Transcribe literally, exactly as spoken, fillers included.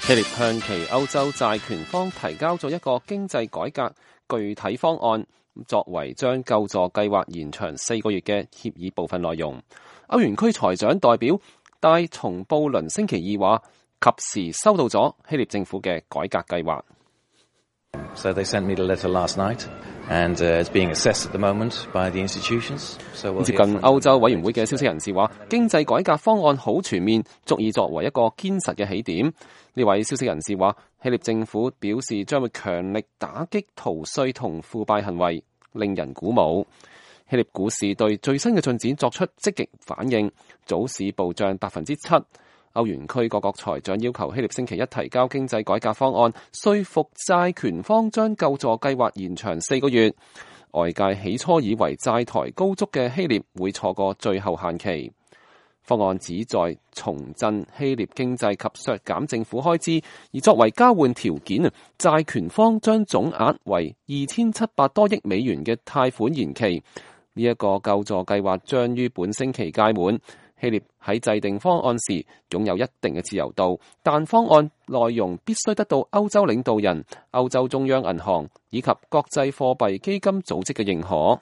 希臘向其歐洲債權方提交咗一個經濟改革具體方案，作為將救助計劃延長四個月嘅協議部分內容。歐元區財長代表戴松布倫星期二話，及時收到咗希臘政府嘅改革計劃。So they sent me the letter last night, and it's being assessed at the moment by the institutions. 接近歐洲委員會嘅消息人士話，經濟改革方案好全面，足以作為一個堅實嘅起點。呢位消息人士話，希臘政府表示將會強力打擊逃稅同腐敗行為，令人鼓舞。希臘股市對最新嘅進展作出積極反應，早市暴漲百分之七。歐元區各國財長要求希臘星期一提交經濟改革方案，說服債權方將救助計劃延長四個月。外界起初以為債台高築嘅希臘會錯過最後限期。方案旨在重振希臘經濟及削減政府開支，而作為交換條件，債權方將總額為二千七百多億美元嘅貸款延期。呢、這、一個救助計劃將於本星期屆滿。希臘喺制定方案時擁有一定嘅自由度，但方案內容必須得到歐洲領導人、歐洲中央銀行以及國際貨幣基金組織嘅認可。